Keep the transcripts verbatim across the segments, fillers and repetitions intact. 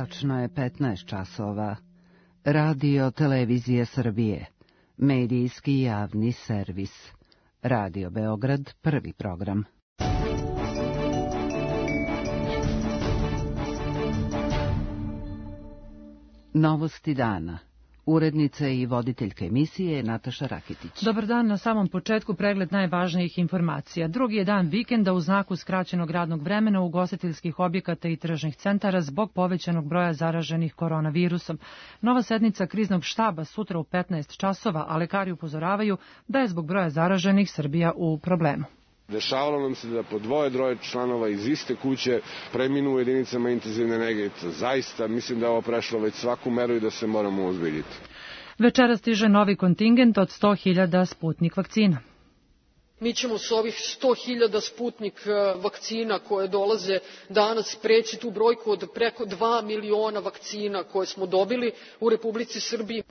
Tačno je petnaest časova. Radio Televizije Srbije. Medijski javni servis. Radio Beograd, prvi program. Novosti dana. Urednica i voditeljka emisije Nataša Rakitić. Dobar dan, na samom početku pregled najvažnijih informacija. Drugi je dan vikenda u znaku skraćenog radnog vremena ugostiteljskih objekata i tržnih centara zbog povećanog broja zaraženih koronavirusom. Nova sednica kriznog štaba sutra u petnaest časova, a lekari upozoravaju da je zbog broja zaraženih Srbija u problemu. Dešavalo nam se da po dvoje, droje članova iz iste kuće preminu u jedinicama intenzivne nege. Zaista mislim da je ovo prešlo već svaku meru i da se moramo ozbiljiti. Večera stiže novi kontingent od sto hiljada Sputnik vakcina. Mi ćemo s ovih sto hiljada Sputnik vakcina koje dolaze danas preći tu brojku od preko dva miliona vakcina koje smo dobili u Republici Srbiji.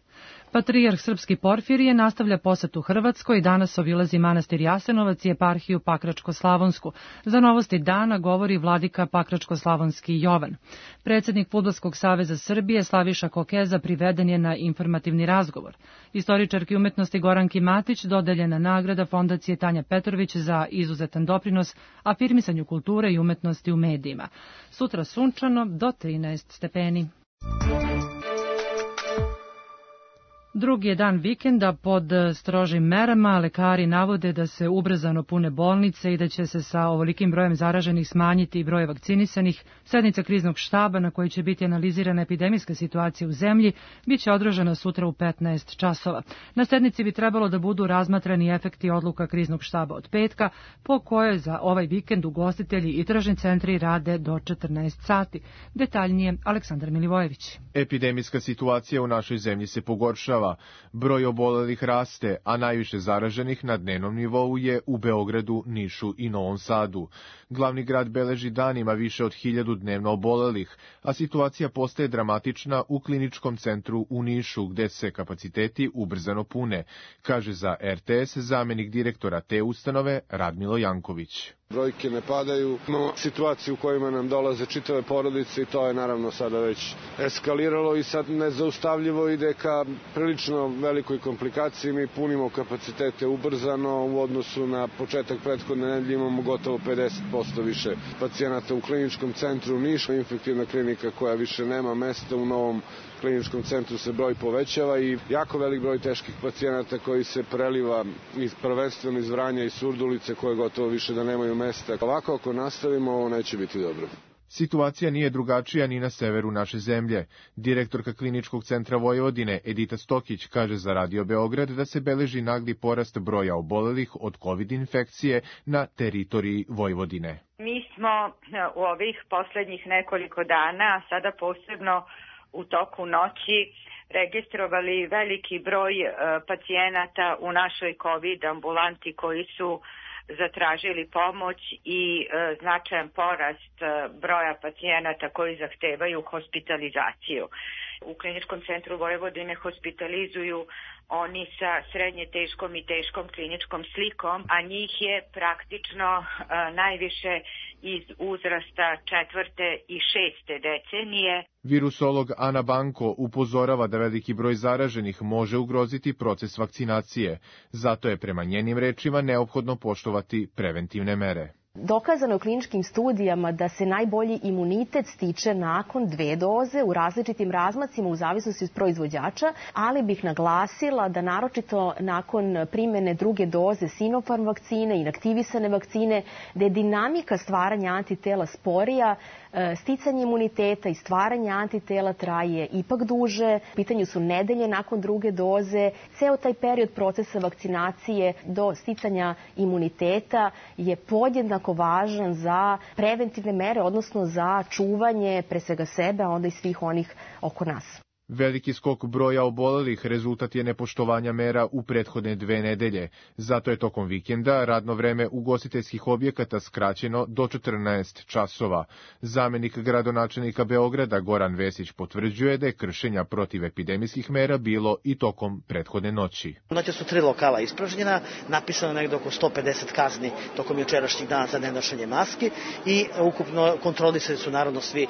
Patrijarh Srpski Porfirije nastavlja posetu Hrvatskoj i danas obilazi manastir Jasenovac i eparhiju Pakračko-Slavonsku. Za novosti dana govori vladika Pakračko-Slavonski Jovan. Predsjednik Fudbalskog saveza Srbije Slaviša Kokeza priveden je na informativni razgovor. Istoričarki umetnosti Goranki Matić dodeljena nagrada Fondacije Tanja Petrović za izuzetan doprinos afirmisanju kulture i umetnosti u medijima. Sutra sunčano do trinaest stepeni. Drugi je dan vikenda pod strožim merama. Lekari navode da se ubrzano pune bolnice i da će se sa ovolikim brojem zaraženih smanjiti i broj vakcinisanih. Sednica kriznog štaba na kojoj će biti analizirana epidemijska situacija u zemlji bit će održana sutra u petnaest časova. Na sednici bi trebalo da budu razmatrani efekti odluka kriznog štaba od petka, po kojoj za ovaj vikend ugostitelji i tržni centri rade do četrnaest sati. Detaljnije Aleksandar Milivojević. Epidemijska situacija u našoj zemlji se pogoršava. Broj obolelih raste, a najviše zaraženih na dnevnom nivou je u Beogradu, Nišu i Novom Sadu. Glavni grad beleži danima više od hiljadu dnevno obolelih, a situacija postaje dramatična u kliničkom centru u Nišu, gde se kapaciteti ubrzano pune, kaže za er te es zamenik direktora te ustanove Radmilo Janković. Brojke ne padaju, no situaciju u kojima nam dolaze čitave porodice i to je naravno sada već eskaliralo i sad nezaustavljivo ide ka prilično velikoj komplikaciji. Mi punimo kapacitete ubrzano u odnosu na početak prethodne nedelje, imamo gotovo pedeset posto više pacijenata u kliničkom centru Niša, infektivna klinika koja više nema mesta u novom kliničkom centru se broj povećava i jako velik broj teških pacijenata koji se preliva iz, prvenstveno iz Vranja i Surdulice koje gotovo više da nemaju mesta. Ovako ako nastavimo, ovo neće biti dobro. Situacija nije drugačija ni na severu naše zemlje. Direktorka Kliničkog centra Vojvodine Edita Stokić kaže za Radio Beograd da se beleži nagli porast broja obolelih od COVID infekcije na teritoriji Vojvodine. Mi smo u ovih poslednjih nekoliko dana, sada posebno u toku noći, registrovali veliki broj pacijenata u našoj COVID ambulanti koji su zatražili pomoć i e, značajan porast e, broja pacijenata koji zahtevaju hospitalizaciju. U Kliničkom centru Vojvodine hospitalizuju oni sa srednje teškom i teškom kliničkom slikom, a njih je praktično e, najviše iz uzrasta četvrte i šeste decenije. Virusolog Ana Banko upozorava da veliki broj zaraženih može ugroziti proces vakcinacije. Zato je prema njenim rečima neophodno poštovati preventivne mere. Dokazano je u kliničkim studijama da se najbolji imunitet stiče nakon dve doze u različitim razmacima u zavisnosti od proizvođača, ali bih naglasila da naročito nakon primjene druge doze Sinopharm vakcine, inaktivisane vakcine, da je dinamika stvaranja antitela sporija, sticanje imuniteta i stvaranje antitela traje ipak duže. U pitanju su nedelje nakon druge doze. Ceo taj period procesa vakcinacije do sticanja imuniteta je podjednako važan za preventivne mere, odnosno za čuvanje pre svega sebe, a onda i svih onih oko nas. Veliki skok broja obolelih rezultat je nepoštovanja mera u prethodne dve nedelje. Zato je tokom vikenda radno vreme ugostiteljskih objekata skraćeno do četrnaest časova. Zamenik gradonačelnika Beograda Goran Vesić potvrđuje da je kršenja protiv epidemijskih mera bilo i tokom prethodne noći. Noće su tri lokala ispražnjena, napisano negde oko sto pedeset kazni tokom jučerašnjih dana za nenošenje maski i ukupno kontrolisali su naravno svi,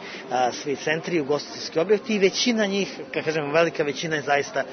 svi centri, ugostiteljski objekti i većina njih, kako kažemo, velika većina je zaista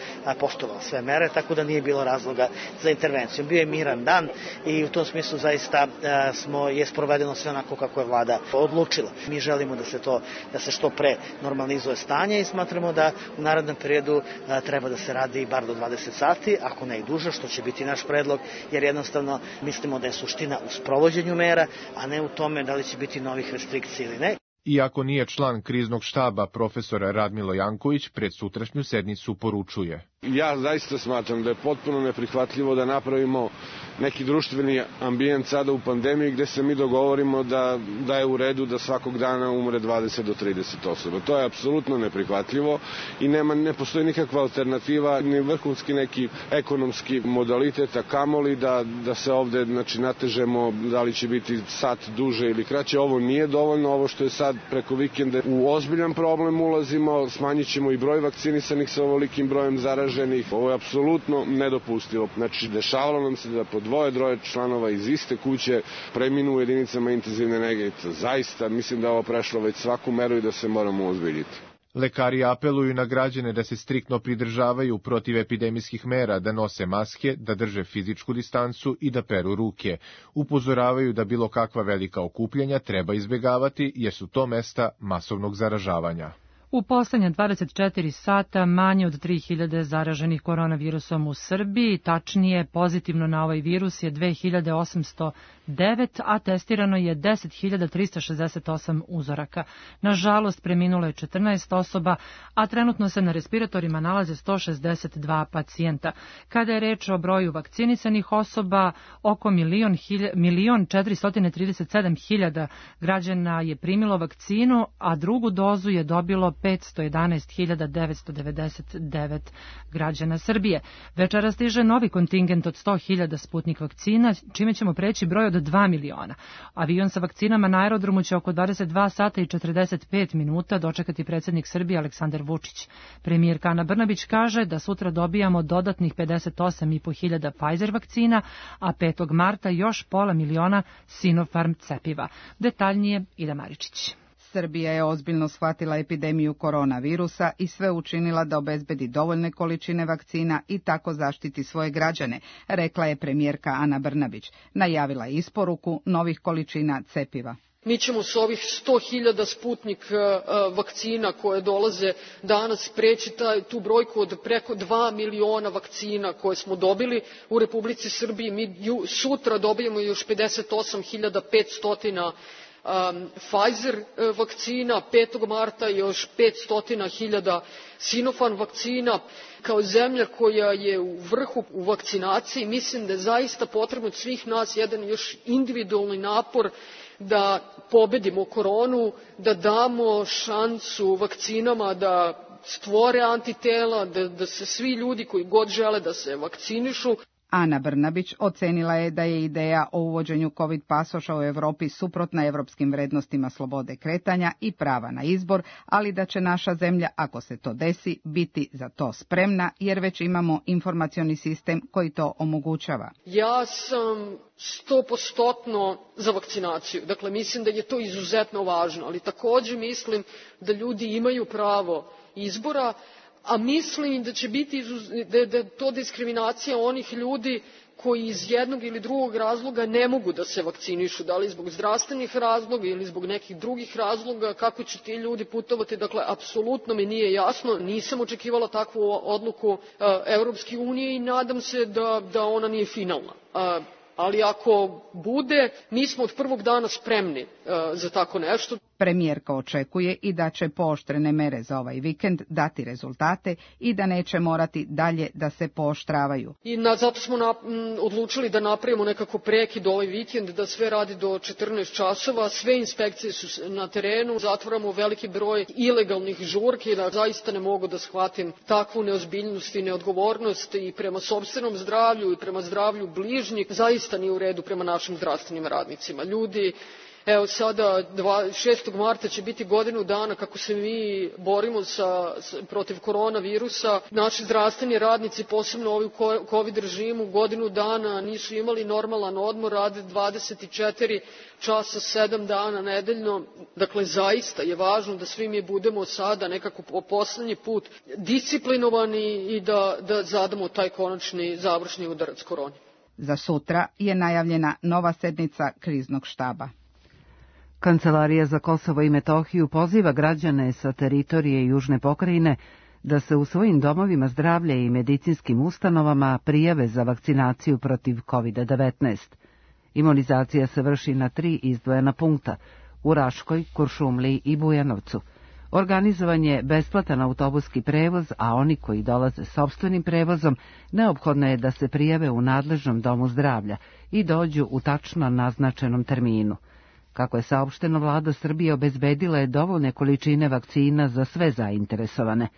poštovala sve mere, tako da nije bilo razloga za intervenciju. Bio je miran dan i u tom smislu zaista smo, je sprovedeno sve onako kako je vlada odlučila. Mi želimo da se to, da se što pre normalizuje stanje i smatramo da u narednom periodu treba da se radi bar do dvadeset sati, ako ne i duže, što će biti naš predlog, jer jednostavno mislimo da je suština u sprovođenju mera, a ne u tome da li će biti novih restrikcija ili ne. Iako nije član kriznog štaba, profesor Radmilo Janković pred sutrašnju sednicu poručuje. Ja zaista smatram da je potpuno neprihvatljivo da napravimo neki društveni ambijent sada u pandemiji gde se mi dogovorimo da, da je u redu da svakog dana umre dvadeset do trideset osoba. To je apsolutno neprihvatljivo i nema, ne postoji nikakva alternativa, ni vrhunski neki ekonomski modalitet, a kamoli da, da se ovde znači, natežemo da li će biti sat duže ili kraće. Ovo nije dovoljno, ovo što je sad preko vikenda u ozbiljan problem ulazimo, smanjit ćemo i broj vakcinisanih sa ovolikim brojem zaraženih. Ovo je apsolutno nedopustivo. Znači, dešavalo nam se da po dvoje, droje članova iz iste kuće preminu u jedinicama intenzivne nege. Zaista, mislim da je ovo prešlo već svaku meru i da se moramo ozbiljiti. Lekari apeluju na građane da se striktno pridržavaju protiv epidemijskih mera, da nose maske, da drže fizičku distancu i da peru ruke. Upozoravaju da bilo kakva velika okupljanja treba izbegavati jer su to mesta masovnog zaražavanja. U poslednja dvadeset četiri sata manje od tri hiljade zaraženih koronavirusom u Srbiji, tačnije pozitivno na ovaj virus je dve hiljade osamsto devet, a testirano je deset hiljada trista šezdeset osam uzoraka. Nažalost, preminulo je četrnaest osoba, a trenutno se na respiratorima nalaze sto šezdeset dva pacijenta. Kada je reč o broju vakcinisanih osoba, oko milion četiristo trideset sedam hiljada građana je primilo vakcinu, a drugu dozu je dobilo petsto jedanaest hiljada devetsto devedeset devet građana Srbije. Večera stiže novi kontingent od sto hiljada Sputnik vakcina, čime ćemo preći broj od dva miliona. Avion sa vakcinama na aerodromu će oko dvadeset dva sata i četrdeset pet minuta dočekati predsjednik Srbije Aleksandar Vučić. Premijerka Ana Brnabić kaže da sutra dobijamo dodatnih pedeset osam i po hiljada Pfizer vakcina, a petog marta još pola miliona Sinopharm cepiva. Detaljnije Ida Maričić. Srbija je ozbiljno shvatila epidemiju koronavirusa i sve učinila da obezbedi dovoljne količine vakcina i tako zaštiti svoje građane, rekla je premijerka Ana Brnabić. Najavila je isporuku novih količina cepiva. Mi ćemo s ovih sto hiljada Sputnik vakcina koje dolaze danas preći taj, tu brojku od preko dva miliona vakcina koje smo dobili u Republici Srbiji. Mi ju, sutra dobijemo još pedeset osam hiljada petsto Um, Pfizer vakcina, petog marta još petsto hiljada Sinopharm vakcina. Kao zemlja koja je u vrhu u vakcinaciji, mislim da je zaista potrebno od svih nas jedan još individualni napor da pobedimo koronu, da damo šansu vakcinama da stvore antitela, da, da se svi ljudi koji god žele da se vakcinišu. Ana Brnabić ocenila je da je ideja o uvođenju COVID pasoša u Europi suprotna evropskim vrednostima slobode kretanja i prava na izbor, ali da će naša zemlja, ako se to desi, biti za to spremna, jer već imamo informacioni sistem koji to omogućava. Ja sam stopostotno za vakcinaciju. Dakle, mislim da je to izuzetno važno, ali također mislim da ljudi imaju pravo izbora, a mislim da će biti da je to diskriminacija onih ljudi koji iz jednog ili drugog razloga ne mogu da se vakcinišu, da li zbog zdravstvenih razloga ili zbog nekih drugih razloga, kako će ti ljudi putovati. Dakle, apsolutno mi nije jasno, nisam očekivala takvu odluku uh, Evropske unije i nadam se da, da ona nije finalna. Uh, ali ako bude, mi smo od prvog dana spremni uh, za tako nešto. Premijerka očekuje i da će pooštrene mere za ovaj vikend dati rezultate i da neće morati dalje da se pooštravaju. I na, zato smo na, m, odlučili da napravimo nekako prekid ovaj vikend, da sve radi do četrnaest časova, sve inspekcije su na terenu, zatvaramo veliki broj ilegalnih žurki, da zaista ne mogu da shvatim takvu neozbiljnost i neodgovornost i prema sopstvenom zdravlju i prema zdravlju bližnjih, zaista nije u redu prema našim zdravstvenim radnicima. Ljudi, evo sada šestog marta će biti godinu dana kako se mi borimo sa, protiv koronavirusa. Naši zdravstveni radnici, posebno ovi u COVID režimu, godinu dana nisu imali normalan odmor, rade dvadeset četiri časa, sedam dana nedeljno. Dakle, zaista je važno da svi mi budemo sada nekako po poslednji put disciplinovani i da, da zadamo taj konačni završni udarac koroni. Za sutra je najavljena nova sednica kriznog štaba. Kancelarija za Kosovo i Metohiju poziva građane sa teritorije Južne pokrajine da se u svojim domovima zdravlja i medicinskim ustanovama prijave za vakcinaciju protiv kovid devetnaest. Imunizacija se vrši na tri izdvojena punkta u Raškoj, Kuršumliji i Bujanovcu. Organizovan je besplatan autobuski prevoz, a oni koji dolaze sopstvenim prevozom neophodno je da se prijave u nadležnom domu zdravlja i dođu u tačno naznačenom terminu. Kako je saopšteno, vlada Srbije obezbedila je dovoljne količine vakcina za sve zainteresovane.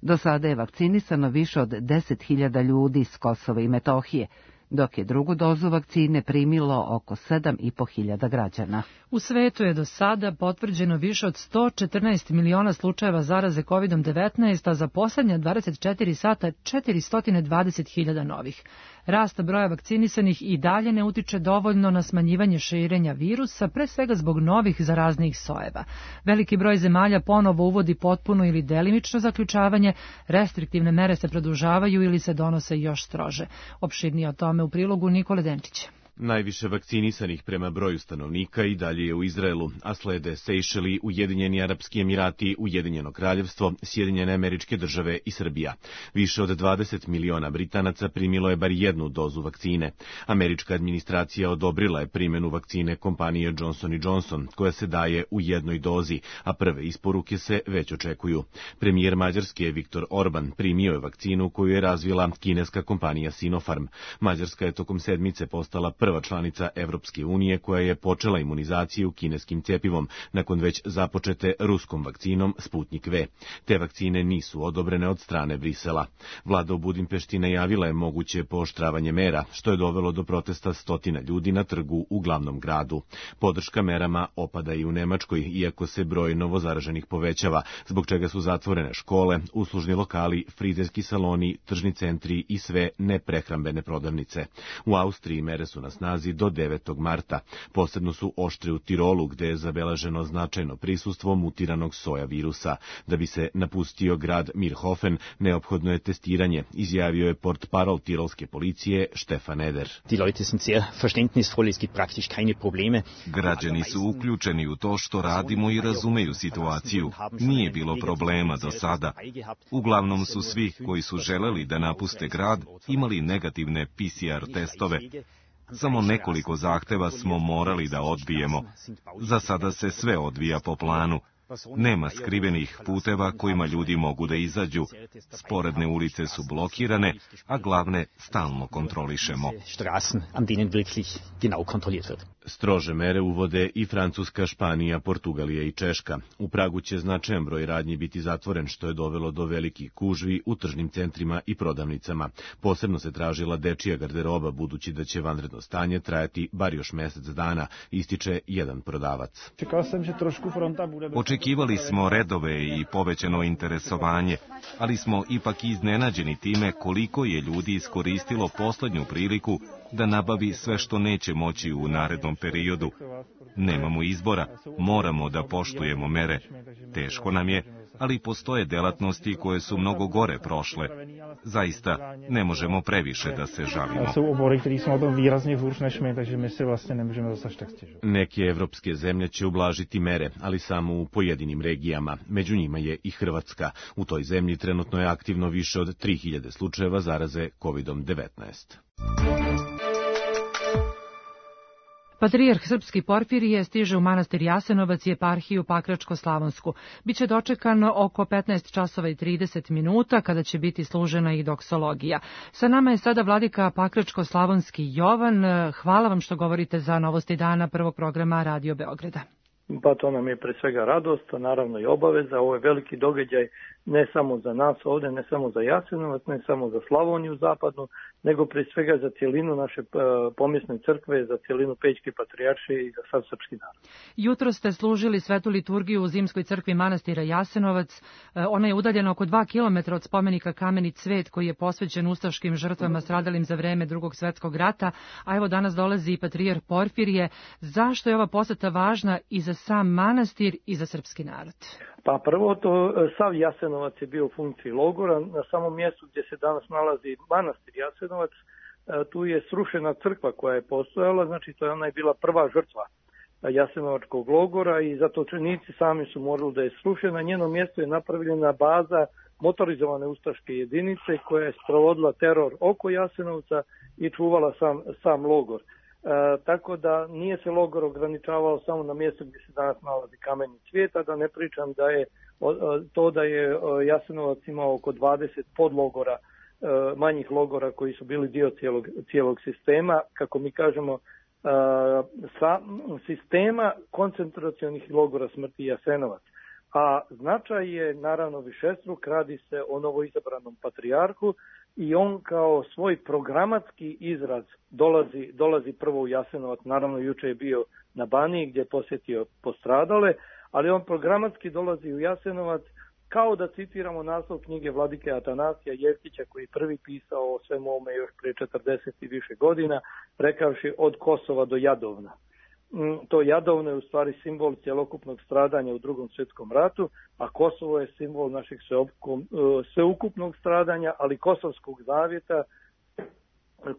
Do sada je vakcinisano više od deset hiljada ljudi s Kosova i Metohije, dok je drugu dozu vakcine primilo oko sedam i po hiljada građana. U svetu je do sada potvrđeno više od sto četrnaest miliona slučajeva zaraze kovid devetnaest, a za poslednja dvadeset četiri sata četiristo dvadeset hiljada novih. Rast broja vakcinisanih i dalje ne utiče dovoljno na smanjivanje širenja virusa, pre svega zbog novih zaraznih sojeva. Veliki broj zemalja ponovo uvodi potpuno ili delimično zaključavanje, restriktivne mere se produžavaju ili se donose još strože. Opširnije o tome u prilogu Nikole Denčića. Najviše vakcinisanih prema broju stanovnika i dalje je u Izraelu, a slede Sejšeli, Ujedinjeni Arapski Emirati, Ujedinjeno Kraljevstvo, Sjedinjene Američke Države i Srbija. Više od dvadeset miliona Britanaca primilo je bar jednu dozu vakcine. Američka administracija odobrila je primjenu vakcine kompanije Johnson and Johnson, koja se daje u jednoj dozi, a prve isporuke se već očekuju. Premijer Mađarske Viktor Orban primio je vakcinu koju je razvila kineska kompanija Sinopharm. Mađarska je tokom sedmice postala prva članica Evropske unije koja je počela imunizaciju kineskim cepivom, nakon već započete ruskom vakcinom Sputnik V. Te vakcine nisu odobrene od strane Brisela. Vlada u Budimpešti najavila je moguće pooštravanje mera, što je dovelo do protesta stotina ljudi na trgu u glavnom gradu. Podrška merama opada i u Nemačkoj, iako se broj novozaraženih povećava, zbog čega su zatvorene škole, uslužni lokali, frizerski saloni, tržni centri i sve neprehrambene prodavnice. U Austriji mere su na snazi do devetog marta. Posebno su oštre u Tirolu, gde je zabeleženo značajno prisustvo mutiranog soja virusa. Da bi se napustio grad Mirhofen, neophodno je testiranje, izjavio je portparol tirolske policije Stefan Eder. Građani su uključeni u to što radimo i razumeju situaciju. Nije bilo problema do sada. Uglavnom su svi koji su želeli da napuste grad imali negativne P C R testove. Samo nekoliko zahteva smo morali da odbijemo. Za sada se sve odvija po planu. Nema skrivenih puteva kojima ljudi mogu da izađu. Sporedne ulice su blokirane, a glavne stalno kontrolišemo. Strože mere uvode i Francuska, Španija, Portugalija i Češka. U Pragu će značajan broj radnji biti zatvoren, što je dovelo do velikih gužvi u tržnim centrima i prodavnicama. Posebno se tražila dečija garderoba, budući da će vanredno stanje trajati bar još mesec dana, ističe jedan prodavac. Očekivali smo redove i povećano interesovanje, ali smo ipak iznenađeni time koliko je ljudi iskoristilo poslednju priliku da nabavi sve što neće moći u narednom periodu. Nemamo izbora, moramo da poštujemo mere. Teško nam je, ali postoje delatnosti koje su mnogo gore prošle. Zaista, ne možemo previše da se žalimo. Neke evropske zemlje će ublažiti mere, ali samo u pojedinim regijama. Među njima je i Hrvatska. U toj zemlji trenutno je aktivno više od tri hiljade slučajeva zaraze kovid devetnaest. Patrijarh srpski Porfirije stiže u manastir Jasenovac i eparhiju Pakračko-Slavonsku. Biće dočekan oko petnaest časova i trideset minuta kada će biti služena i doksologija. Sa nama je sada vladika Pakračko-Slavonski Jovan. Hvala vam što govorite za Novosti dana prvog programa Radio Beograda. Pa to nam je pre svega radost, a naravno i obaveza. Ovo je veliki događaj ne samo za nas ovde, ne samo za Jasenovac, ne samo za Slavoniju zapadnu, nego pre svega za cijelinu naše pomjesne crkve, za cijelinu Pećke patrijaršije i za sav srpski narod. Jutro ste služili svetu liturgiju u zimskoj crkvi manastira Jasenovac. Ona je udaljena oko dva kilometra od spomenika Kameni cvet koji je posvećen ustaškim žrtvama stradalim za vreme Drugog svetskog rata, a evo danas dolazi i patrijarh Porfirije. Zašto je ova poseta važna i za sam manastir i za srpski narod? Pa prvo to, sav Jasenovac je bio u funkciji logora. Na samom mjestu gdje se danas nalazi manastir Jasenovac, tu je srušena crkva koja je postojala, znači to je ona je bila prva žrtva Jasenovačkog logora i zatočenici sami su morali da je srušena. Na njenom mjestu je napravljena baza motorizovane ustaške jedinice koja je sprovodila teror oko Jasenovca i čuvala sam, sam logor. E, tako da nije se logor ograničavao samo na mjestu gdje se danas nalazi Kameni cvijet, a da ne pričam da je o, to da je Jasenovac imao oko dvadeset podlogora, e, manjih logora koji su bili dio cijelog, cijelog sistema, kako mi kažemo, e, sa, sistema koncentracionih logora smrti Jasenovac. A značaj je naravno višestruk, radi se o novoizabranom patrijarhu i on kao svoj programatski izraz dolazi, dolazi prvo u Jasenovac, naravno juče je bio na Baniji gdje je posjetio postradale, ali on programatski dolazi u Jasenovac kao da citiramo naslov knjige vladike Atanasija Jevtića koji je prvi pisao o svemu ovome još prije četrdeset i više godina, rekavši od Kosova do Jadovna. To Jadovno je u stvari simbol cjelokupnog stradanja u Drugom svjetskom ratu, a Kosovo je simbol našeg sveukupnog stradanja, ali Kosovskog zavjeta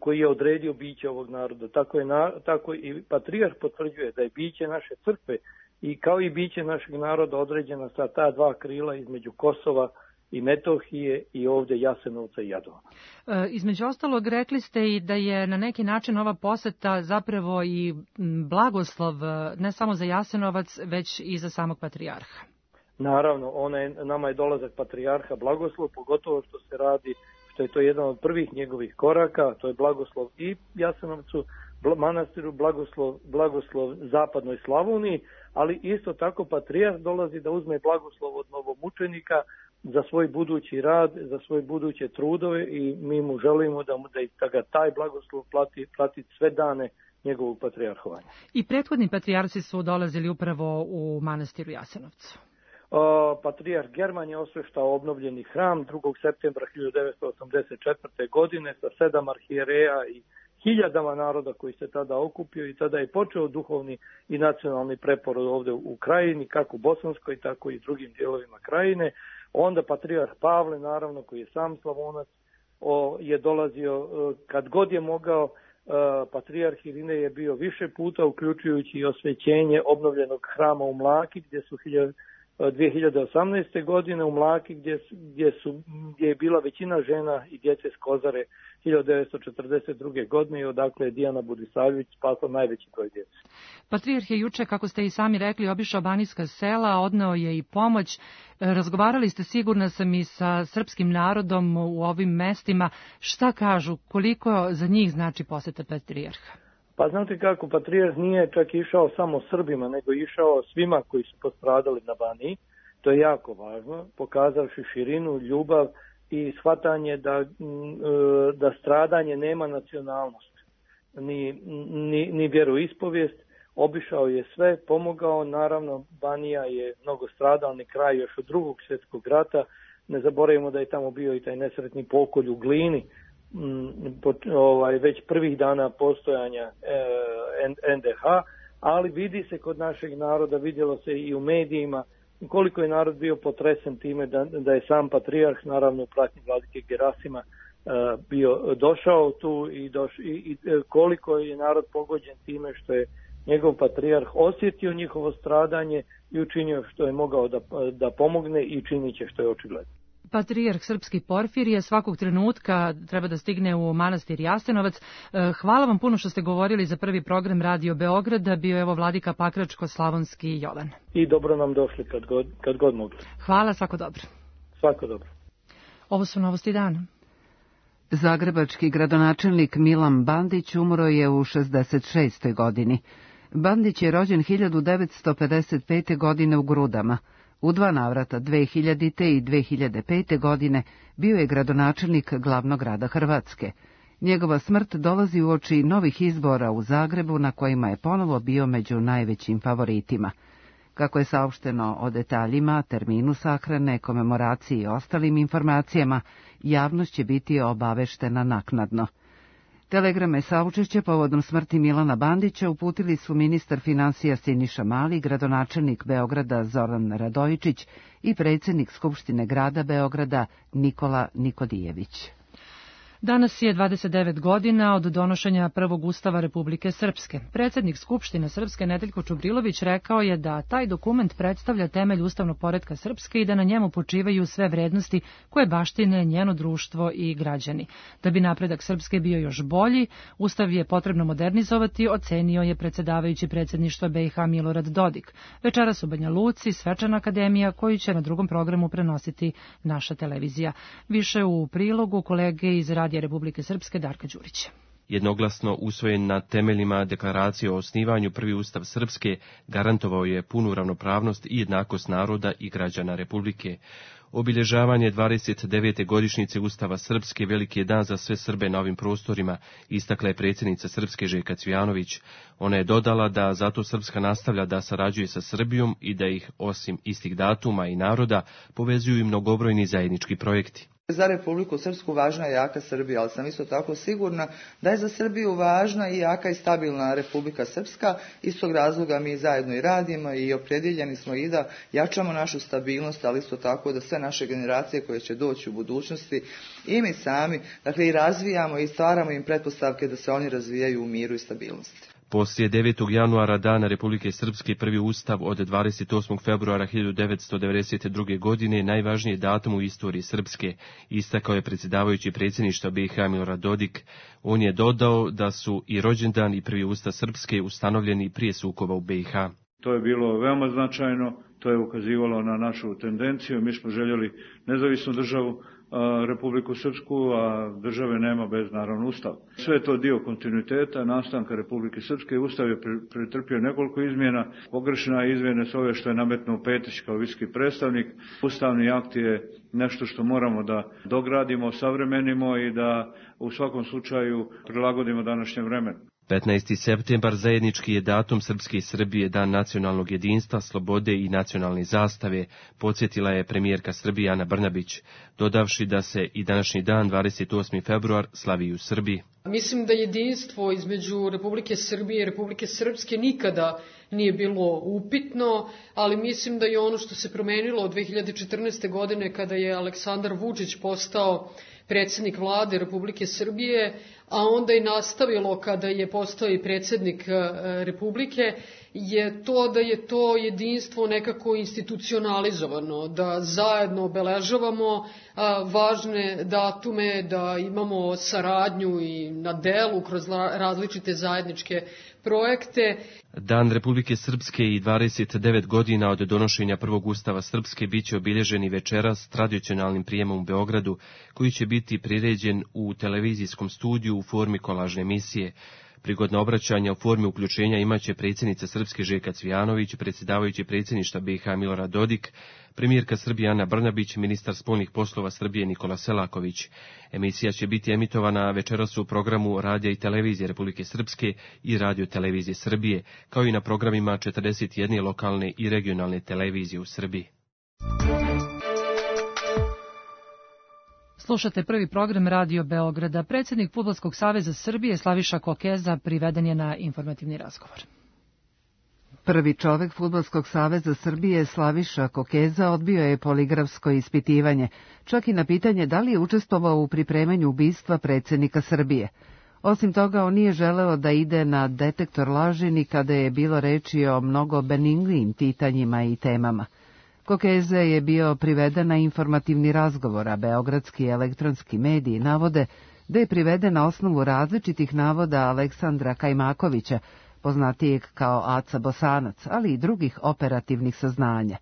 koji je odredio biće ovog naroda. Tako, je, tako i patrijarh potvrđuje da je biće naše crkve i kao i biće našeg naroda određena sa ta dva krila između Kosova i Metohije i ovdje Jasenovca i Jadovna. E, između ostalog rekli ste i da je na neki način ova poseta zapravo i blagoslov ne samo za Jasenovac, već i za samog patrijarha. Naravno, ona je, nama je dolazak patrijarha blagoslov, pogotovo što se radi, što je to jedan od prvih njegovih koraka, to je blagoslov i Jasenovcu, manastiru, blagoslov, blagoslov zapadnoj Slavoniji, ali isto tako patrijarh dolazi da uzme blagoslov od novomučenika za svoj budući rad, za svoje buduće trudove i mi mu želimo da, mu, da ga taj blagoslov plati, plati sve dane njegovog patrijarhovanja. I prethodni patrijarsi su dolazili upravo u manastiru Jasenovcu. O, patrijarh German je osveštao obnovljeni hram drugog septembra hiljadu devetsto osamdeset četvrte. godine sa sedam arhijereja i hiljadama naroda koji se tada okupio i tada je počeo duhovni i nacionalni preporod ovdje u krajini, kako u Bosanskoj, tako i drugim dijelovima krajine. Onda patrijarh Pavle, naravno, koji je sam Slavonac, o, je dolazio kad god je mogao. Patrijarh Irinej je bio više puta, uključujući i osvećenje obnovljenog hrama u Mlaki, gdje su dvije hiljade osamnaeste. godine u Mlaki, gdje, gdje, su, gdje je bila većina žena i djece s Kozare hiljadu devetsto četrdeset druge. godine i odakle je Dijana Budisavljević spasla najveći broj djece. Patrijarh je juče, kako ste i sami rekli, obišao banijska sela, odneo je i pomoć. Razgovarali ste, sigurna sam, i sa srpskim narodom u ovim mestima. Šta kažu, koliko za njih znači poseta patrijarha? Pa znate kako, patrijarh nije čak išao samo Srbima, nego išao svima koji su postradali na Baniji. To je jako važno, pokazavši širinu, ljubav i shvatanje da, da stradanje nema nacionalnost, ni, ni, ni vjeroispovijest. Obišao je sve, pomogao, naravno Banija je mnogo stradalni kraj još od Drugog svjetskog rata. Ne zaboravimo da je tamo bio i taj nesretni pokolj u Glini, ovaj, već prvih dana postojanja en de ha, ali vidi se kod našeg naroda, vidjelo se i u medijima koliko je narod bio potresen time da, da je sam patrijarh, naravno u pratnji vladike Gerasima, bio došao tu i, doš, i, i koliko je narod pogođen time što je njegov patrijarh osjetio njihovo stradanje i učinio što je mogao da, da pomogne i činit će što je očigledno. Patrijarh srpski Porfirije svakog trenutka treba da stigne u manastir Jasenovac. Hvala vam puno što ste govorili za prvi program Radio Beograda. Bio je evo vladika Pakračko-Slavonski Jovan. I dobro nam došli kad god, kad god mogli. Hvala, svako dobro. Svako dobro. Ovo su novosti dana. Zagrebački gradonačelnik Milan Bandić umro je u šezdeset šestoj godini. Bandić je rođen hiljadu devetsto pedeset pete. godine u Grudama. U dva navrata, dve hiljadite. i dve hiljade pete. godine, bio je gradonačelnik glavnog grada Hrvatske. Njegova smrt dolazi uoči novih izbora u Zagrebu na kojima je ponovo bio među najvećim favoritima. Kako je saopšteno o detaljima, terminu sahrane, komemoraciji i ostalim informacijama, javnost će biti obaveštena naknadno. Telegrame saučešća povodom smrti Milana Bandića uputili su ministar finansija Siniša Mali, gradonačelnik Beograda Zoran Radojičić i predsjednik Skupštine grada Beograda Nikola Nikodijević. Danas je dvadeset devet godina od donošenja prvog ustava Republike Srpske. Predsjednik Skupštine Srpske Nedeljko Čubrilović rekao je da taj dokument predstavlja temelj ustavnog poretka Srpske i da na njemu počivaju sve vrednosti koje baštine njeno društvo i građani. Da bi napredak Srpske bio još bolji, ustav je potrebno modernizovati, ocenio je predsjedavajući predsjedništva B i H Milorad Dodik. Večeras u Banja Luci svečana akademija koju će na drugom programu prenositi naša televizija. Više u prilogu kolege iz Radija Republike Srpske Darka Đurića. Jednoglasno usvojen na temeljima deklaracije o osnivanju, prvi ustav Srpske garantovao je punu ravnopravnost i jednakost naroda i građana Republike. Obilježavanje dvadeset devete godišnjice Ustava Srpske veliki je dan za sve Srbe na ovim prostorima, istakla je predsjednica Srpske Željka Cvijanović. Ona je dodala da zato Srpska nastavlja da sarađuje sa Srbijom i da ih, osim istih datuma i naroda, povezuju i mnogobrojni zajednički projekti. Za Republiku Srpsku važna je jaka Srbija, ali sam isto tako sigurna da je za Srbiju važna i jaka i stabilna Republika Srpska. Iz tog razloga mi zajedno i radimo i opredjeljeni smo i da jačamo našu stabilnost, ali isto tako da sve naše generacije koje će doći u budućnosti i mi sami, dakle i razvijamo i stvaramo im pretpostavke da se oni razvijaju u miru i stabilnosti. Poslije devetog januara Dana Republike Srpske prvi ustav od dvadeset osmog februara hiljadu devetsto devedeset druge. godine najvažniji datum u istoriji Srpske, istakao je predsjedavajući predsjedništva B i H Milorad Dodik. On je dodao da su i rođendan i prvi ustav Srpske ustanovljeni prije sukoba u B i H. To je bilo veoma značajno, to je ukazivalo na našu tendenciju. Mi smo željeli nezavisnu državu, Republiku Srpsku, a države nema bez naravno ustav. Sve je to dio kontinuiteta nastanka Republike Srpske. Ustav je pretrpio nekoliko izmjena. Pogrešna izmjene su ove što je nametnuo Petić kao viski predstavnik. Ustavni akt je nešto što moramo da dogradimo, savremenimo i da u svakom slučaju prilagodimo današnjem vremenu. petnaesti septembar zajednički je datum Srpske i Srbije, dan nacionalnog jedinstva, slobode i nacionalne zastave, podsjetila je premijerka Srbije Ana Brnabić, dodavši da se i današnji dan, dvadeset osmi februar, slavi u Srbiji. Mislim da jedinstvo između Republike Srbije i Republike Srpske nikada nije bilo upitno, ali mislim da je ono što se promenilo od dve hiljade četrnaeste. godine kada je Aleksandar Vučić postao predsjednik vlade Republike Srbije, a onda i nastavilo kada je postao i predsjednik Republike, je to da je to jedinstvo nekako institucionalizovano, da zajedno obeležavamo važne datume, da imamo saradnju i na delu kroz različite zajedničke projekte. Dan Republike Srpske i dvadeset devet godina od donošenja prvog ustava Srpske biće obilježeni večeras tradicionalnim prijemom u Beogradu, koji će biti priređen u televizijskom studiju u formi kolažne emisije. Prigodna obraćanja u formi uključenja imaće predsjednica Srpske Željka Cvijanović, predsjedavajući predsjedništva B i H Milorad Dodik, premijerka Srbije Ana Brnabić, ministar spoljnih poslova Srbije Nikola Selaković. Emisija će biti emitovana večeras u programu Radija i televizije Republike Srpske i Radio televizije Srbije, kao i na programima četrdeset jedne lokalne i regionalne televizije u Srbiji. Slušate prvi program Radio Beograda. Predsjednik Fudbalskog saveza Srbije Slaviša Kokeza priveden je na informativni razgovor. Prvi čovek Fudbalskog saveza Srbije Slaviša Kokeza odbio je poligrafsko ispitivanje, čak i na pitanje da li je učestvovao u pripremanju ubistva predsjednika Srbije. Osim toga, on nije želeo da ide na detektor laži ni kada je bilo reči o mnogo benignijim pitanjima i temama. Kokeze je bio priveden na informativni razgovor, a beogradski elektronski mediji navode da je priveden na osnovu različitih navoda Aleksandra Kajmakovića, poznatijeg kao Aca Bosanac, ali i drugih operativnih saznanja.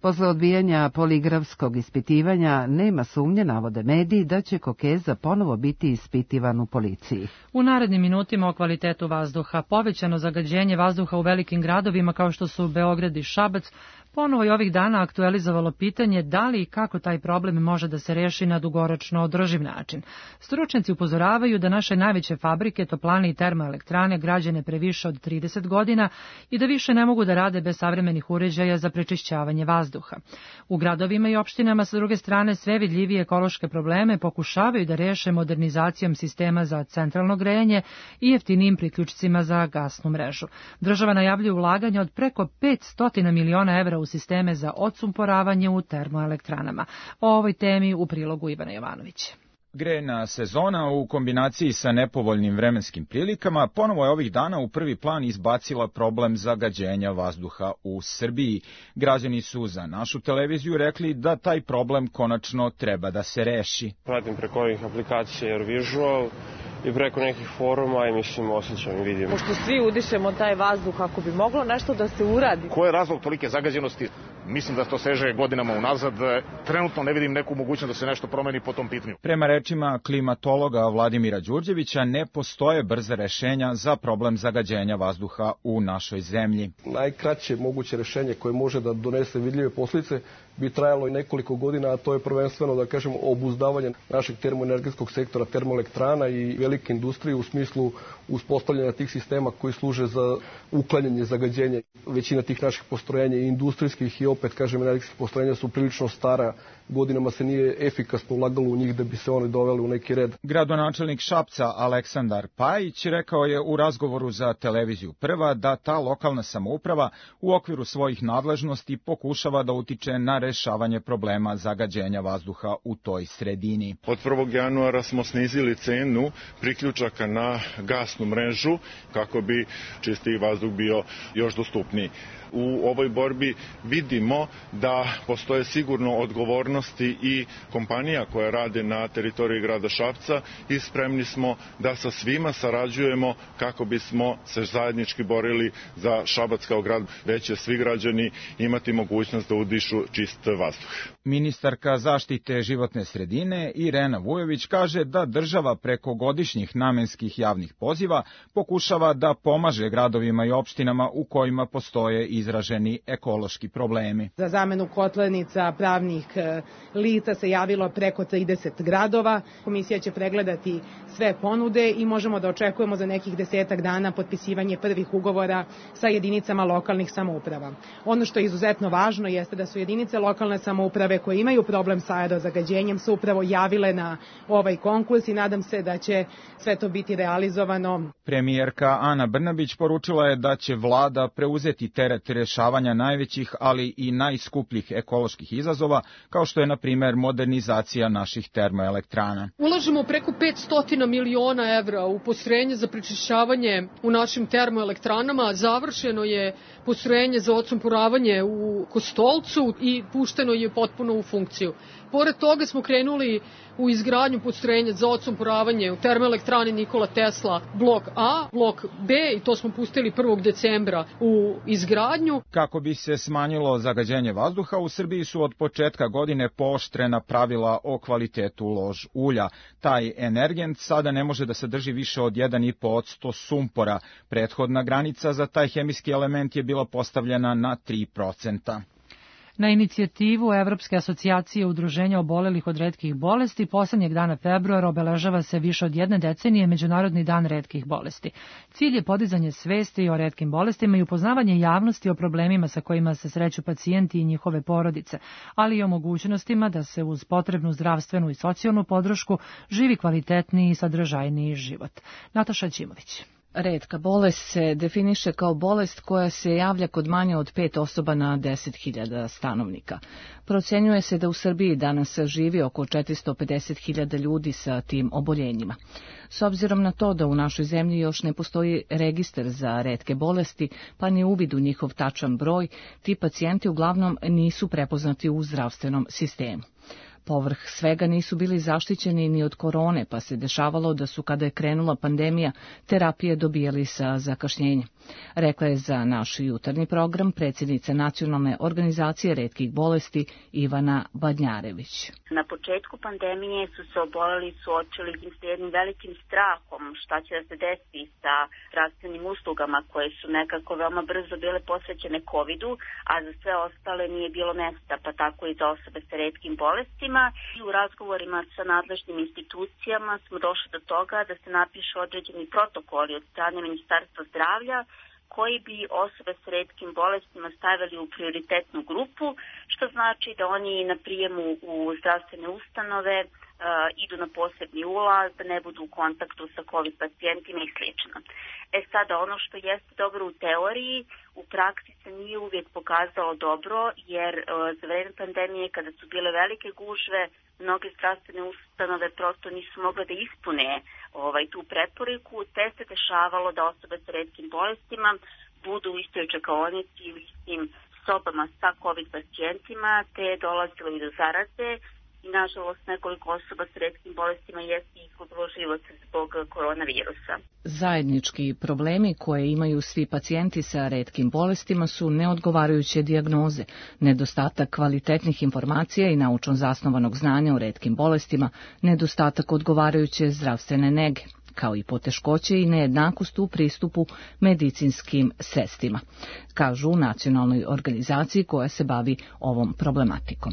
Posle odbijanja poligrafskog ispitivanja nema sumnje, navode mediji, da će Kokeza ponovo biti ispitivan u policiji. U narednim minutima o kvalitetu vazduha. Povećano zagađenje vazduha u velikim gradovima kao što su Beograd i Šabac ponovo je ovih dana aktualizovalo pitanje da li i kako taj problem može da se reši na dugoročno održiv način. Stručnjaci upozoravaju da naše najveće fabrike, toplane i termoelektrane građane previše od trideset godina i da više ne mogu da rade bez savremenih uređaja za prečišćavanje vazduha. U gradovima i opštinama sa druge strane sve vidljivije ekološke probleme pokušavaju da reše modernizacijom sistema za centralno grejanje i jeftinijim priključcima za gasnu mrežu. Država najavljuje ulaganje od preko petsto miliona evra u sisteme za odsumporavanje u termoelektranama. O ovoj temi u prilogu Ivana Jovanovića. Grejna sezona u kombinaciji sa nepovoljnim vremenskim prilikama ponovo je ovih dana u prvi plan izbacila problem zagađenja vazduha u Srbiji. Građani su za našu televiziju rekli da taj problem konačno treba da se reši. Pratim preko ovih aplikacija AirVisual i preko nekih foruma i mislim osjećam i vidim. Pošto svi udišemo taj vazduh, ako bi moglo nešto da se uradi. Ko je razlog tolike zagađenosti? Mislim da to seže godinama unazad. Trenutno ne vidim neku mogućnost da se nešto promeni po tom pitanju. Prema rečima klimatologa Vladimira Đurđevića, ne postoje brza rešenja za problem zagađenja vazduha u našoj zemlji. Najkraće moguće rešenje koje može da donese vidljive posljedice bi trajalo i nekoliko godina, a to je prvenstveno, da kažemo, obuzdavanje našeg termoenergetskog sektora, termoelektrana i velike industrije u smislu uspostavljanja tih sistema koji služe za uklanjanje zagađenja. Većina tih naših postrojenja i industrijskih i opet, kažem, energetskih postrojenja su prilično stara. Godinama se nije efikasno ulagalo u njih da bi se oni doveli u neki red. Gradonačelnik Šapca Aleksandar Pajić rekao je u razgovoru za televiziju Prva da ta lokalna samouprava u okviru svojih nadležnosti pokušava da utiče na rešavanje problema zagađenja vazduha u toj sredini. Od prvog januara smo snizili cenu priključaka na gasnu mrežu kako bi čistiji vazduh bio još dostupniji. U ovoj borbi vidimo da postoje sigurno odgovornosti i kompanija koje rade na teritoriji grada Šapca i spremni smo da sa svima sarađujemo kako bismo se zajednički borili za Šabac kao grad, već će svi građani imati mogućnost da udišu čist vazduh. Ministarka zaštite životne sredine Irena Vujović kaže da država preko godišnjih namenskih javnih poziva pokušava da pomaže gradovima i opštinama u kojima postoje izraženi ekološki problemi. Za zamenu kotlarnica pravnih lica se javilo preko trideset gradova. Komisija će pregledati sve ponude i možemo da očekujemo za nekih desetak dana potpisivanje prvih ugovora sa jedinicama lokalnih samouprava. Ono što je izuzetno važno jeste da su jedinice lokalne samouprave koje imaju problem sa aerozagađenjem su upravo javile na ovaj konkurs i nadam se da će sve to biti realizovano. Premijerka Ana Brnabić poručila je da će vlada preuzeti teret rešavanja najvećih, ali i najskupljih ekoloških izazova, kao što je, na primer, modernizacija naših termoelektrana. Ulažemo preko petsto miliona evra u postrojenje za prečišćavanje u našim termoelektranama. Završeno je postrojenje za odsumporavanje u Kostolcu i pušteno je potpuno u funkciju. Pored toga smo krenuli u izgradnju postrojenja za odsumporavanje u termoelektrani Nikola Tesla blok A, blok B i to smo pustili prvog decembra u izgradnju. Kako bi se smanjilo zagađenje vazduha, u Srbiji su od početka godine pooštrena pravila o kvalitetu lož ulja. Taj energent sada ne može da sadrži više od jedan i po posto sumpora. Prethodna granica za taj hemijski element je bila postavljena na tri procenta. Na inicijativu Evropske asocijacije udruženja obolelih od retkih bolesti, poslednjeg dana februara obeležava se više od jedne decenije Međunarodni dan retkih bolesti. Cilj je podizanje svesti o retkim bolestima i upoznavanje javnosti o problemima sa kojima se sreću pacijenti i njihove porodice, ali i o mogućnostima da se uz potrebnu zdravstvenu i socijalnu podršku živi kvalitetniji i sadržajniji život. Nataša Ćimović. Retka bolest se definiše kao bolest koja se javlja kod manje od pet osoba na deset hiljada stanovnika. Procenjuje se da u Srbiji danas živi oko četiristo pedeset hiljada ljudi sa tim oboljenjima. S obzirom na to da u našoj zemlji još ne postoji registar za retke bolesti, pa ni uvid u njihov tačan broj, ti pacijenti uglavnom nisu prepoznati u zdravstvenom sistemu. Povrh svega nisu bili zaštićeni ni od korone, pa se dešavalo da su, kada je krenula pandemija, terapije dobijali sa zakašnjenjem. Rekla je za naš jutarnji program predsjednica Nacionalne organizacije retkih bolesti Ivana Badnjarević. Na početku pandemije su se oboleli suočili s jednim velikim strahom šta će da se desi sa zdravstvenim uslugama koje su nekako veoma brzo bile posvećene kovidu, a za sve ostale nije bilo mesta, pa tako i za osobe sa retkim bolestima. I u razgovorima sa nadležnim institucijama smo došli do toga da se napišu određeni protokoli od strane Ministarstva zdravlja koji bi osobe s retkim bolestima stavili u prioritetnu grupu, što znači da oni na prijemu u zdravstvene ustanove uh, idu na posebni ulaz, da ne budu u kontaktu sa COVID pacijentima i sl. E sada, ono što jeste dobro u teoriji, u praksi se nije uvijek pokazalo dobro, jer uh, za vreme pandemije, kada su bile velike gužve, mnoge zdravstvene ustanove prosto nisu mogle da ispune ovaj, tu preporuku, te se dešavalo da osobe sa retkim bolestima budu u istoj čekaonici i u istim sobama sa COVID pacijentima, te je dolazilo i do zaraze i nažalost nekoliko osoba s retkim bolestima jeste izgubilo život zbog koronavirusa. Zajednički problemi koje imaju svi pacijenti sa retkim bolestima su neodgovarajuće dijagnoze, nedostatak kvalitetnih informacija i naučno zasnovanog znanja o retkim bolestima, nedostatak odgovarajuće zdravstvene nege, kao i poteškoće i nejednakost u pristupu medicinskim sredstvima, kažu u Nacionalnoj organizaciji koja se bavi ovom problematikom.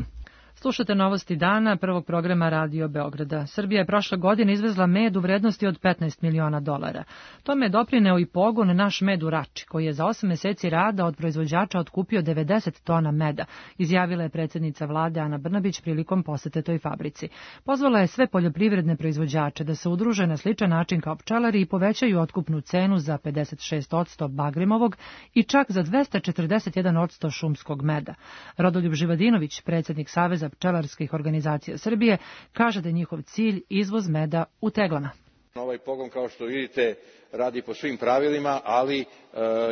Slušate novosti dana prvog programa Radio Beograda. Srbija je prošle godine izvezla med u vrednosti od petnaest miliona dolara. Tome je doprineo i pogon Naš med u Rači, koji je za osam meseci rada od proizvođača otkupio devedeset tona meda, izjavila je predsjednica vlade Ana Brnabić prilikom posete toj fabrici. Pozvala je sve poljoprivredne proizvođače da se udruže na sličan način kao pčelari i povećaju otkupnu cenu za pedeset šest posto bagrimovog i čak za dvesta četrdeset jedan posto šumskog meda. Rodoljub Živadinović, predsjednik Saveza pčelarskih organizacija Srbije, kaže da je njihov cilj izvoz meda u teglama. Ovaj pogon, kao što vidite, radi po svim pravilima, ali e,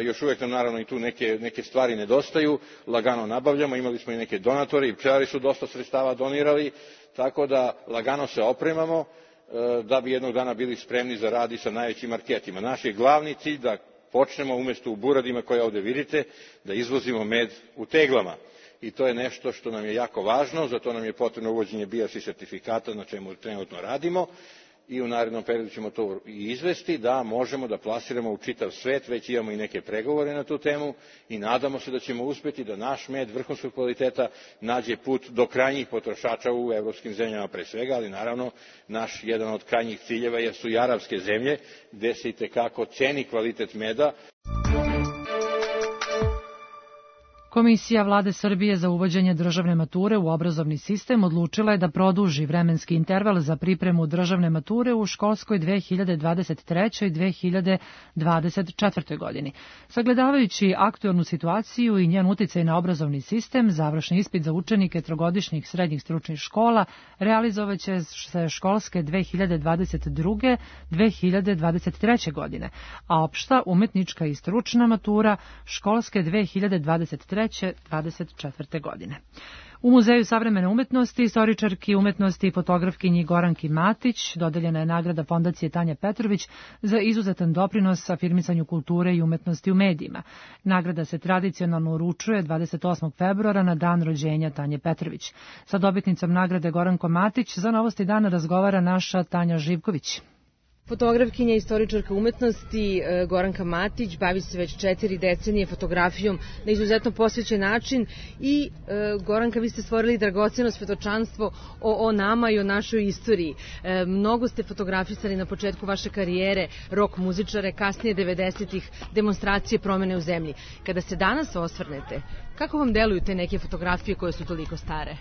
još uvijek nam naravno i tu neke, neke stvari nedostaju. Lagano nabavljamo, imali smo i neke donatore i pčelari su dosta sredstava donirali, tako da lagano se opremamo e, da bi jednog dana bili spremni za rad i sa najvećim marketima. Naš je glavni cilj da počnemo umjesto u buradima koje ovdje vidite, da izvozimo med u teglama. I to je nešto što nam je jako važno, zato nam je potrebno uvođenje B S I sertifikata, na čemu trenutno radimo i u narednom periodu ćemo to i izvesti, da možemo da plasiramo u čitav svet, već imamo i neke pregovore na tu temu i nadamo se da ćemo uspjeti da naš med vrhunskog kvaliteta nađe put do krajnjih potrošača u evropskim zemljama pre svega, ali naravno naš jedan od krajnjih ciljeva jesu i arapske zemlje, gde se itekako ceni kvalitet meda. Komisija vlade Srbije za uvođenje državne mature u obrazovni sistem odlučila je da produži vremenski interval za pripremu državne mature u školskoj dve hiljade dvadeset trećoj. i dve hiljade dvadeset četvrtoj. godini. Sagledavajući aktuelnu situaciju i njen uticaj na obrazovni sistem, završni ispit za učenike trogodišnjih srednjih stručnih škola realizovaće se školske dve hiljade dvadeset druge. do dve hiljade dvadeset treće. godine, a opšta, umetnička i stručna matura školske dve hiljade dvadeset treće. do dvadeset četvrte. godine. U Muzeju savremene umetnosti, istoričarki umetnosti i fotografkinji Goranki Matić dodeljena je nagrada Fondacije Tanja Petrović za izuzetan doprinos afirmisanju kulture i umetnosti u medijima. Nagrada se tradicionalno uručuje dvadeset osmog februara na dan rođenja Tanje Petrović. Sa dobitnicom nagrade Gorankom Matić za Novosti dana razgovara naša Tanja Živković. Fotografkinja i istoričarka umetnosti Goranka Matić bavi se već četiri decenije fotografijom na izuzetno posvećen način i Goranka, vi ste stvorili dragoceno svjedočanstvo o, o nama i o našoj istoriji. Mnogo ste fotografisali na početku vaše karijere, rok muzičare, kasnije devedesetih, demonstracije promjene u zemlji. Kada se danas osvrnete, kako vam deluju te neke fotografije koje su toliko stare?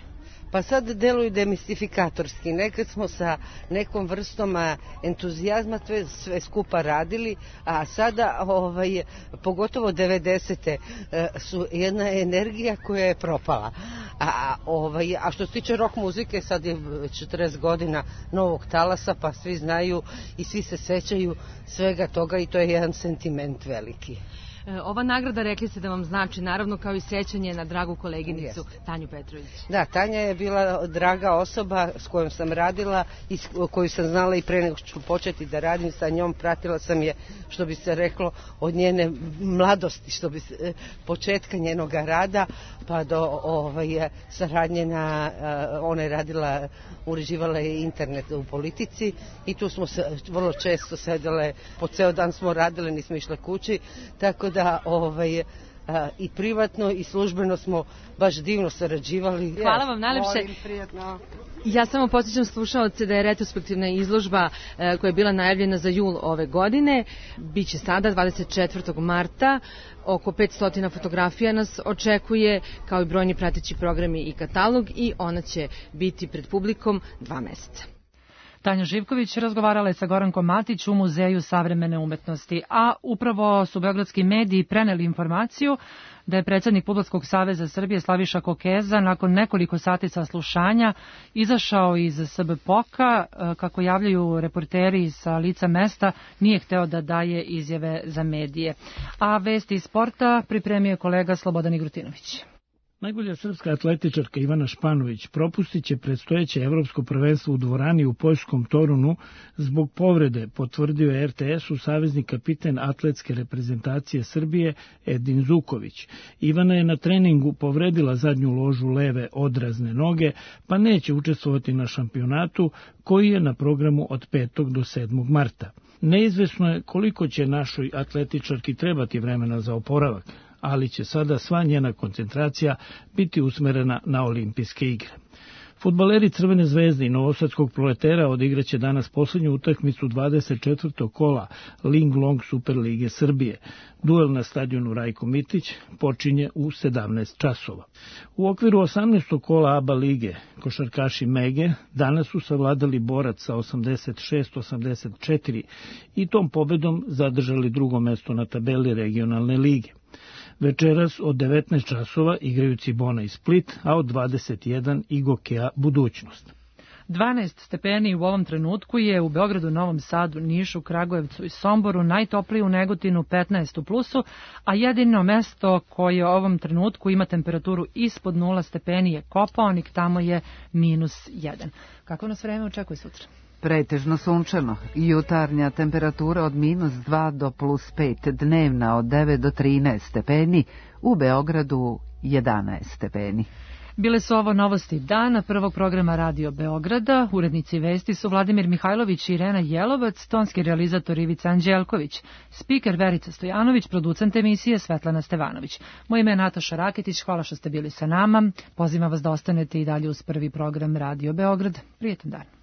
pa sad deluju demistifikatorski. Nekad smo sa nekom vrstom entuzijazma sve, sve skupa radili, a sada, ovaj, pogotovo devedesete su jedna energija koja je propala. A, ovaj, a što se tiče rock muzike, sad je četrdeset godina novog talasa, pa svi znaju i svi se sećaju svega toga i to je jedan sentiment veliki. Ova nagrada, rekli ste da vam znači, naravno, kao i sećanje na dragu koleginicu yes. Tanju Petrović. Da, Tanja je bila draga osoba s kojom sam radila i koju sam znala i pre nego što ću početi da radim sa njom. Pratila sam je, što bi se reklo, od njene mladosti, što bi se, početka njenog rada, pa do ovaj, saradnje na, ona je radila, uređivala je internet u politici i tu smo se vrlo često sedele, po ceo dan smo radile, nismo išle kući, tako da ovaj, a, i privatno i službeno smo baš divno sarađivali. Hvala vam najlepše. Ja samo podsjećam slušaoce da je retrospektivna izložba e, koja je bila najavljena za jul ove godine. Biće sada dvadeset četvrtog marta. Oko petsto fotografija nas očekuje, kao i brojni prateći programi i katalog, i ona će biti pred publikom dva meseca. Tanja Živković razgovarala je sa Gorankom Matić u Muzeju savremene umetnosti, a upravo su beogradski mediji preneli informaciju da je predsjednik Fudbalskog saveza Srbije Slaviša Kokeza nakon nekoliko sati saslušanja izašao iz S B P O K-a, kako javljaju reporteri sa lica mesta, nije hteo da daje izjave za medije. A vesti iz sporta pripremio kolega Slobodan Igrutinović. Najbolja srpska atletičarka Ivana Španović propustit će predstojeće evropsko prvenstvo u dvorani u poljskom Torunu zbog povrede, potvrdio je R T S-u savezni kapiten atletske reprezentacije Srbije Edin Zuković. Ivana je na treningu povredila zadnju ložu leve odrazne noge, pa neće učestvovati na šampionatu koji je na programu od petog do sedmog marta. Neizvesno je koliko će našoj atletičarki trebati vremena za oporavak, ali će sada sva njena koncentracija biti usmerena na olimpijske igre. Fudbaleri Crvene zvezde i Novosadskog Proletera odigraće danas posljednju utakmicu dvadeset četvrtog kola Ling Long Super Lige Srbije. Duel na stadionu Rajko Mitić počinje u sedamnaest časova. U okviru osamnaestog kola A B A lige košarkaši Mege danas su savladali Borac sa osamdeset šest osamdeset četiri i tom pobedom zadržali drugo mesto na tabeli regionalne lige. Večeras od devetnaest časova igraju Cibona i Split, a od dvadeset jedan i Gokea Budućnost. dvanaest stepeni u ovom trenutku je u Beogradu, Novom Sadu, Nišu, Kragujevcu i Somboru, najtoplije u Negotinu petnaest u plusu, a jedino mesto koje u ovom trenutku ima temperaturu ispod nula stepeni je Kopaonik, tamo je minus jedan. Kako nas vreme očekuje sutra? Pretežno sunčano, jutarnja temperatura od minus dva do plus pet, dnevna od devet do trinaest stepeni, u Beogradu jedanaest stepeni. Bile su ovo novosti dana prvog programa Radio Beograda. Urednici vesti su Vladimir Mihajlović i Irena Jelovac, tonski realizator Ivica Anđelković, spiker Verica Stojanović, producent emisije Svetlana Stevanović. Moje ime je Nataša Raketić, hvala što ste bili sa nama. Pozivam vas da ostanete i dalje uz prvi program Radio Beograd. Prijetan dan.